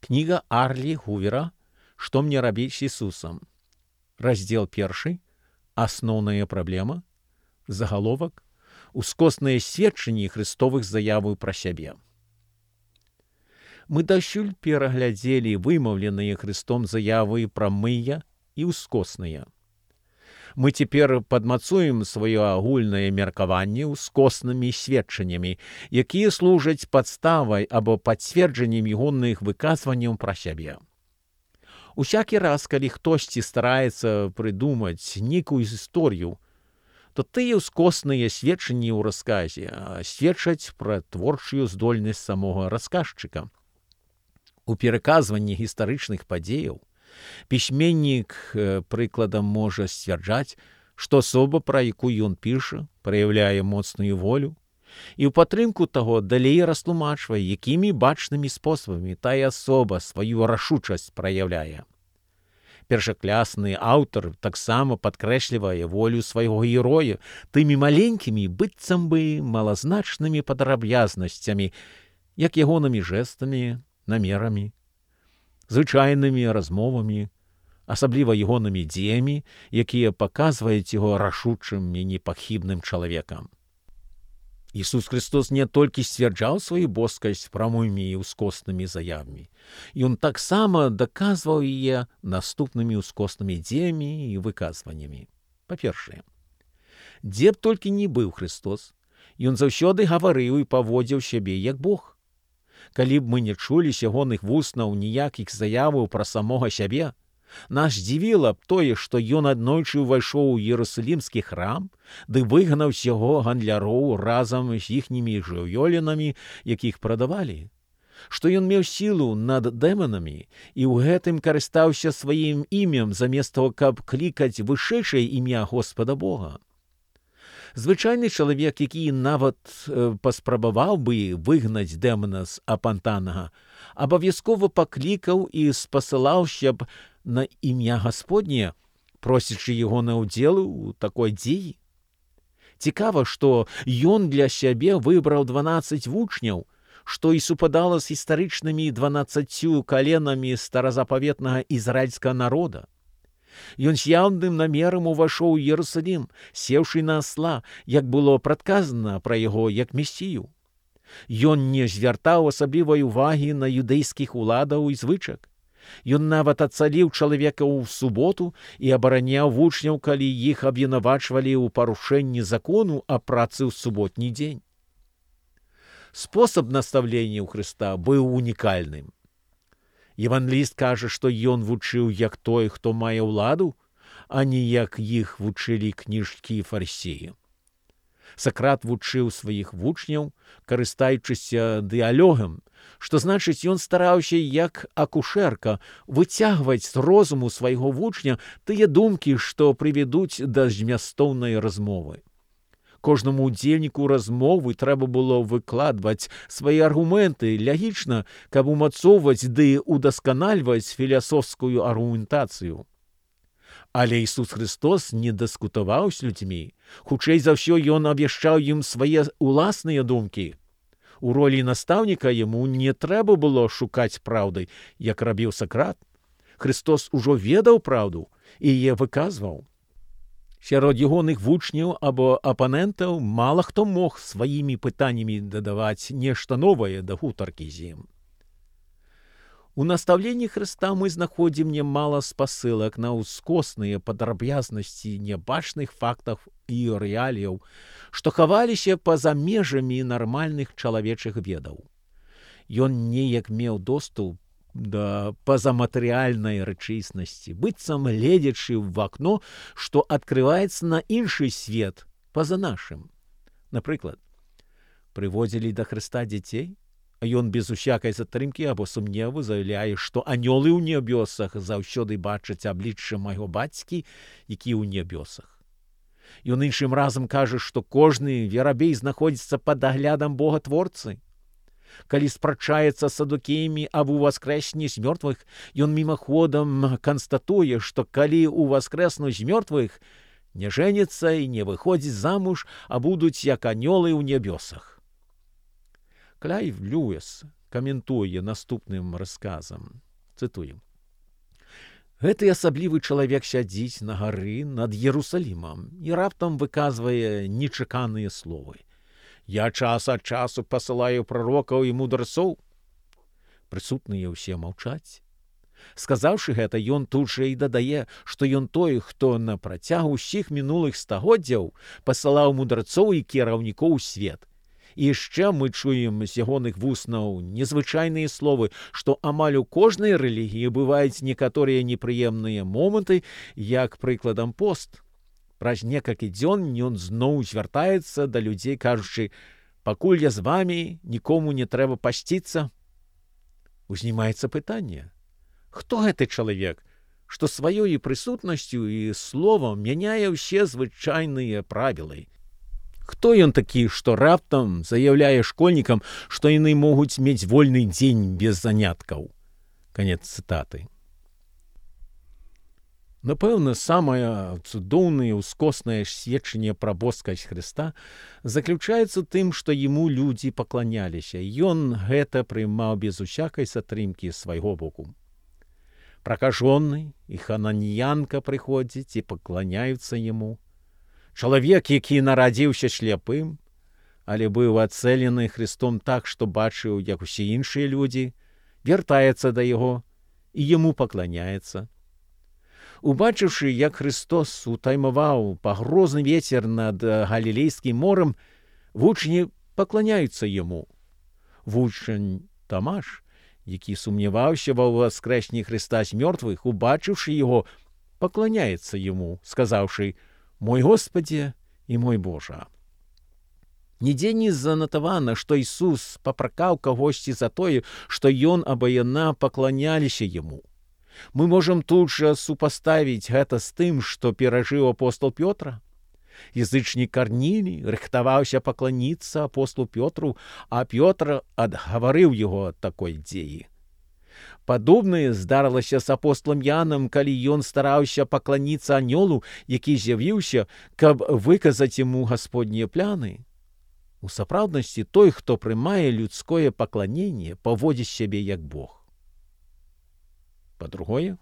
Кніга Арлі Гувера «Што мне рабіць з Ісусам». Раздзел 1. Асноўная праблема. Загаловак. Ускосныя сведчанні Христовых заяваў пра сябе. Мы дасюль пераглядзелі вымаўленыя Христом заявы пра мыя і ускосныя. Мы цяпер падмацуем сваё агульнае меркаванне ускоснымі сведчаннямі, якія служаць падставай або пацверджаннем ягоных выказванняў пра сябе. Усякі раз, калі хтосьці стараецца прыдумаць нейкую гісторыю, то тыя ускосныя сведчанні ў расказе сведчаць пра творчую здольнасць самога расказчыка. У пераказванні гістарычных падзеяў пісьменнік, прыкладам, можа сцвярджаць, што асоба, пра якую ён піша, праяўляе моцную волю, і ў падтрымку таго далей растлумачвае, якімі бачнымі спосабамі тая асоба сваю рашучасць праяўляе. Першаклясны аўтар таксама падкрэслівае волю свайго героя тымі маленькімі, быццам бы малазначнымі падрабязнасцямі, як ягонымі жэстамі, намерамі, звычайнымі размовамі, асабліва ягонымі дзеямі, якія паказваюць яго рашучым і непахібным чалавекам. Ісус Христос не толькі сцвярджаў сваю боскасць прамымі і ўскоснымі заявамі, ён таксама даказваў яе наступнымі ўскоснымі дзеямі і выказваннямі. Па-першае, дзе б толькі не быў Христос, ён заўсёды гаварыў і паводзіў сябе як Бог. Калі б мы не чулі з ягоных вуснаў ніякіх заяваў пра самога сябе, нас здзівіла б тое, што ён аднойчы ўвайшоў у Іерусалімскі храм, ды выгнаў з яго гандляроў разам з іхнімі жывёлінамі, якіх прадавалі, што ён меў сілу над дэманамі і ў гэтым карыстаўся сваім імем замест того, каб клікаць вышэйшае імя Господа Бога. Звычайны чалавек, які нават паспрабаваў бы выгнаць дэмана з апантанага, абавязкова паклікаў і спасылаўся б на імя Гасподняе, просячы яго на ўдзел у такой дзеі. Цікава, што ён для сябе выбраў 12 вучняў, што і супадала з гістарычнымі 12 каленамі старазапаветнага ізраільскага народа. Ён з яўным намерам увайшоў у Іерусалім, сеўшы на асла, як было прадказана пра яго як месію. Ён не звяртаў асаблівай увагі на юдэйскіх уладаў і звычак. Ён нават ацаліў чалавека ў суботу і абараняў вучняў, калі іх абвінавачвалі ў парушэнні закону аб працы ў суботні дзень. Спосаб настаўлення ў Хрыста быў унікальным. Евангеліст кажа, што ён вучыў як той, хто мае ўладу, а не як іх вучылі кніжкі і фарысеі. Сакрат вучыў сваіх вучняў, карыстаючыся дыялогам, што значыць, ён стараўся як акушэрка выцягваць з розуму свайго вучня тыя думкі, што прывядуць да змястоўнай размовы. Кожнаму ўдзельніку размовы трэба было выкладваць свае аргументы лягічна, каб умацоўваць ды удасканальваць філасофскую аргументацыю. Але Ісус Христос не дыскутаваў з людзьмі. Хутчэй за ўсё, ён абвяшчаў ім свае ўласныя думкі. У ролі настаўніка яму не трэба было шукаць праўды, як рабіў Сакрат. Христос ужо ведаў праўду і яе выказваў. Сярод ягоных вучняў або апанентаў мала хто мог сваімі пытаннямі дадаваць нешта новае да гутаркі з ім. У настаўленні Хрыста мы знаходзім нямала спасылак на ўскосныя падрабязнасці нябачных фактаў і рэаліяў, што хаваліся па-за межамі нармальных чалавечых ведаў. Ён неяк меў доступ да пазаматэрыяльнай рэчыснасці, быццам гледзячы ў акно, што адкрываецца на іншы свет па-за нашым. Напрыклад, прыводзілі да Хрыста дзяцей, а ён без усякай затрымкі або сумневу заяўляе, што анёлы ў нябёсах заўсёды бачаць аблічча майго бацькі, які ў нябёсах. Ён іншым разам кажа, што кожны верабей знаходзіцца пад аглядам Бога-творцы. Калі спрачаецца з садукеямі аб уваскрэсні з мёртвых, ён мімаходам канстатуе, што калі ўваскрэснуць з мёртвых, не жэніцца і не выходзіць замуж, а будуць як анёлы ў нябёсах. Клайв Льюіс каментуе наступным расказам. Цытую. Гэты асаблівы чалавек сядзіць на гары над Єрусалімам і раптам выказвае нечаканыя словы. «Я час ад часу пасылаю прарокаў і мудрецоў». Прысутныя ўсе маўчаць. Сказаўшы гэта, ён тут жа і дадае, што ён той, хто на працягу ўсіх мінулых стагоддзяў пасылаў мудрецоў і кіраўнікоў у свет. І яшчэ мы чуем з ягоных вуснаў незвычайныя словы, што амаль у кожнай рэлігіі бываюць некаторыя непрыемныя моманты, як прыкладам пост. Праз некалькі дзён ён зноў звяртаецца да людзей, кажучы: «Пакуль я з вамі, нікому не трэба пасціцца». Узнімаецца пытанне: хто гэты чалавек, што сваёй прысутнасцю і словам мяняе ўсе звычайныя правілы? Хто ён такі, што раптам заяўляе школьнікам, што яны могуць мець вольны дзень без заняткаў? Канец цытаты. Напэўна, самае цудоўнае ўскоснае сведчанне пра боскасць Хрыста заключаецца ў тым, што яму людзі пакланяліся. Ён гэта прымаў без усякай затрымкі свайго боку. Пракажоны і хананіянка прыходзяць і пакланяюцца яму. Чалавек, які нарадзіўся сляпым, але быў ацэлены Христом так, што бачыў, як усе іншыя людзі, вяртаецца да яго і яму пакланяецца. Убачыўшы, як Христос утаймаваў пагрозны вецер над Галілейскім морам, вучні пакланяюцца яму. Вучань Тамаш, які сумняваўся ва ўваскрэсні Христа з мёртвых, убачыўшы яго, пакланяецца яму, сказаўшы: «Мой Господзе і мой Божа». Нідзе не занатавана, што Ісус папракаў кагосьці за тое, што ён або яна пакланяліся яму. Мы можам тут жа супаставіць гэта з тым, што перажыў апостол Пётра. Язычнік Карнілій рыхтаваўся пакланіцца апостолу Пётру, а Пётр адгаварыў яго ад такой дзеі. Падобнае здарылася з апостолам Янам, калі ён стараўся пакланіцца анёлу, які з'явіўся, каб выказаць яму гасподнія пляны. У сапраўднасці той, хто прымае людское пакланенне, паводзіць сябе як Бог. Па-другое,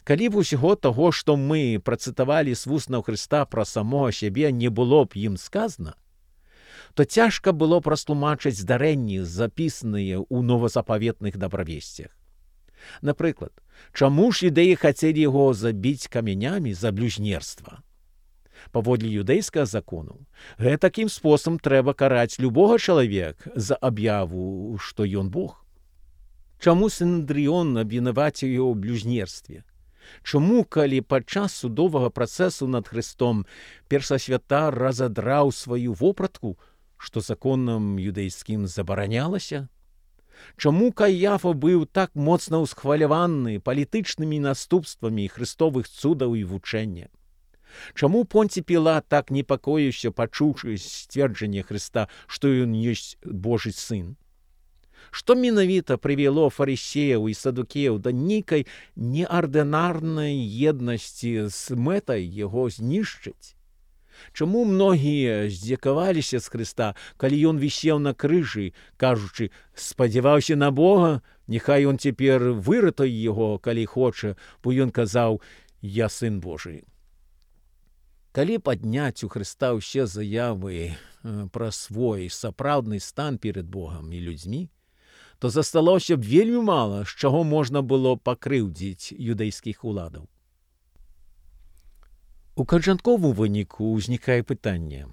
калі б усяго таго, што мы працытавалі з вуснаў Хрыста пра самога сябе, не было б ім сказана, то цяжка было б растлумачыць здарэнні, запісаныя ў новазапаветных дабравесцях. Напрыклад, чаму ж юдэі хацелі яго забіць камянямі за блюзнерства? Паводле юдэйскага закону, гэтакім спосабам трэба караць любога чалавека за аб'яву, што ён Бог. Чаму Сінедрыон абвінаваціў яго ў блюзнерстве? Чаму, калі падчас судовага працэсу над Хрыстом першасвятар разадраў сваю вопратку, што законам юдэйскім забаранялася? Чаму Каяфа быў так моцна ўсхваляваны палітычнымі наступствамі хрыстовых цудаў і вучэння? Чаму Понцій Пілат так непакоіўся, пачуўшы сцверджанне Хрыста, што ён ёсць Божы сын? Што менавіта прывяло фарысеяў і садукеяў да нейкай неардынарнай еднасці з мэтай яго знішчыць? Чаму многія здзекаваліся з Хрыста, калі ён вісеў на крыжы, кажучы: «Спадзяваўся на Бога, няхай ён цяпер выратуе яго, калі хоча, бо ён казаў: я сын Божы». Калі падняць у Хрыста ўсе заявы пра свой сапраўдны стан перад Богам і людзьмі, то засталося б вельмі мала, з чаго можна было пакрыўдзіць юдэйскіх уладаў. У канчатковым выніку ўзнікае пытанне: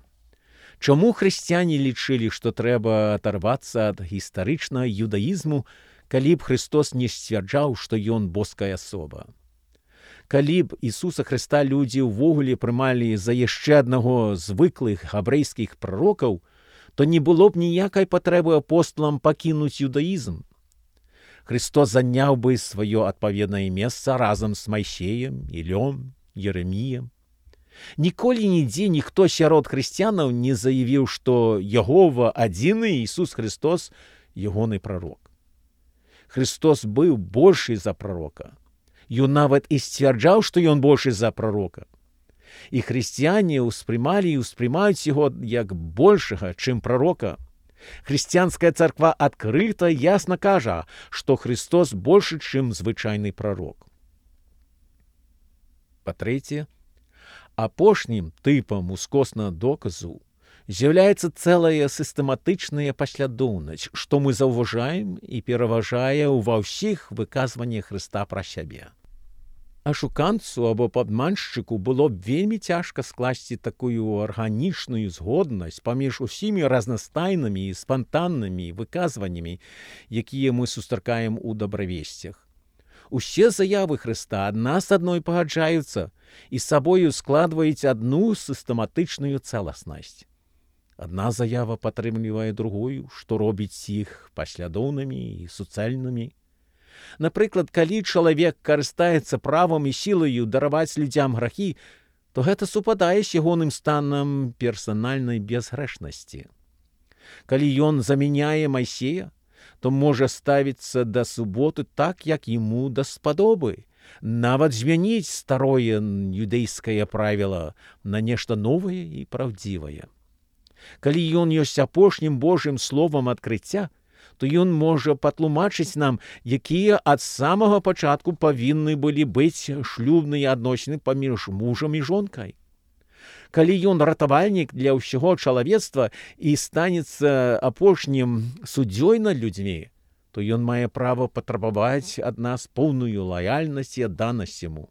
чаму хрысціяне лічылі, што трэба адарвацца ад гістарычнага юдаізму, калі б Христос не сцвярджаў, што ён боская асоба? Калі б Ісуса Хрыста людзі ўвогуле прымалі за яшчэ аднаго з звыклых габрэйскіх прарокаў, то не было б ніякай патрэбы апосталам пакінуць юдаізм. Христос заняў бы сваё адпаведнае месца разам з Майсеем, Ілём, Ереміем. Ніколі нідзе ніхто сярод хрысціянаў не заявіў, што Ягова адзіны Ісус Христос ягоны прарок. Христос быў большы за прарока. Ён нават і сцвярджаў, што ён большы за прарока. І хрысціяне ўспрымалі і ўспрымаюць яго як большага, чым прарока. Хрысціянская царква адкрыта ясна кажа, што Христос большы, чым звычайны прарок. Па-трэцяе, апошнім тыпам ускоснага доказу з'яўляецца цэлая сістэматычная паслядоўнасць, што мы заўважаем і пераважае ва ўсіх выказваннях Хрыста пра сябе. Ашуканцу або падманшчыку было б вельмі цяжка скласці такую арганічную згоднасць паміж усімі разнастайнымі і спантаннымі выказваннямі, якія мы сустракаем у дабравесцях. Усе заявы Хрыста адна з адной пагаджаюцца і з сабою складваюць адну сістэматычную цэласнасць. Адна заява падтрымлівае другую, што робіць іх паслядоўнымі і суцэльнымі. Напрыклад, калі чалавек карыстаецца правам і сілаю дараваць людзям грахі, то гэта супадае з ягоным станам персанальнай бязгрэшнасці. Калі ён замяняе Майсея, то можа ставіцца да суботы так, як яму даспадобы, нават змяніць старое юдэйскае правіла на нешта новае і праўдзівае. Калі ён ёсць апошнім Божым словам адкрыцця, то ён можа патлумачыць нам, якія ад самага пачатку павінны былі быць шлюбныя адносіны паміж мужам і жонкай. Калі ён ратавальнік для ўсяго чалавецтва і станецца апошнім суддзёй над людзьмі, то ён мае права патрабаваць ад нас поўную лаяльнасць і адданасць яму.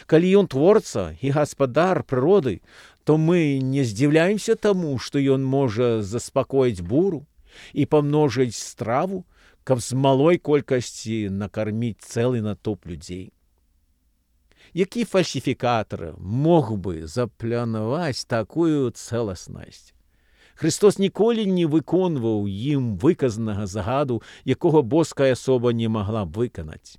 Калі ён творца і гаспадар прыроды, то мы не здзіўляемся таму, што ён можа заспакоіць буру і памножыць страву, каб з малой колькасці накарміць цэлы натоўп людзей. Які фальсіфікатар мог бы запланаваць такую цэласнасць? Христос ніколі не выконваў ім выказанага загаду, якога боская асоба не магла б выканаць.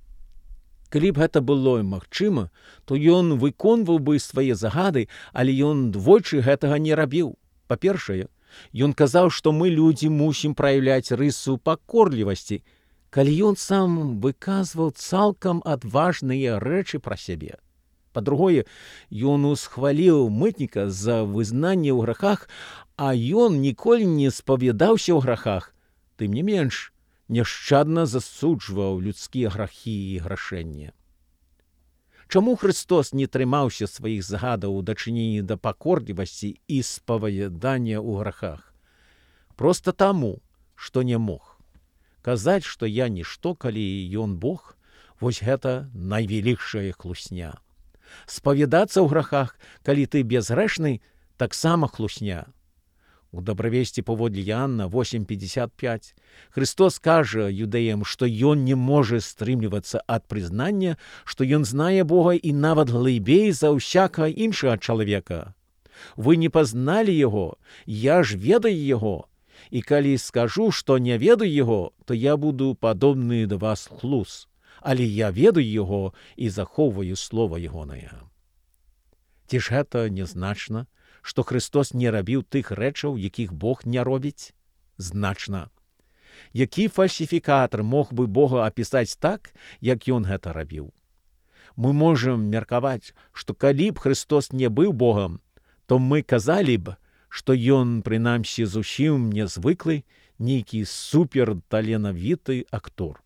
Калі б гэта было магчыма, то ён выконваў бы свае загады, але ён двойчы гэтага не рабіў. Па-першае, ён казаў, што мы, людзі, мусім праяўляць рысу пакорлівасці, калі ён сам выказваў цалкам адважныя рэчы пра сябе. Па-другое, ён усхваліў мытніка за вызнанне ў грахах, а ён ніколі не спавядаўся ў грахах, тым не менш, няшчадна засуджваў людскія грахі і грашэнне. Чаму Христос не трымаўся сваіх загадаў у дачыненні да пакорлівасці і спавядання ў грахах? Проста таму, што не мог. Казаць, што я нішто, калі ён Бог, вось гэта найвялікшая хлусня. Спавядацца ў грахах, калі ты бязгрэшны, таксама хлусня. У дабравесці паводле Іанна 8:55 Христос кажа юдэям, што ён не можа стрымлівацца ад прызнання, што ён знае Бога і нават глыбей за ўсякага іншага чалавека. Вы не пазналі яго, я ж ведаю яго, і калі скажу, што не ведаю яго, то я буду падобны да вас хлус, але я ведаю яго і захоўваю слова ягонае. Ці ж гэта нязначна, што Христос не рабіў тых рэчаў, якіх Бог не робіць? Значна. Які фальсіфікатар мог бы Бога апісаць так, як ён гэта рабіў? Мы можам меркаваць, што калі б Христос не быў Богам, то мы казалі б, што ён, прынамсі, зусім нязвыклы, нейкі суперталенавіты актор.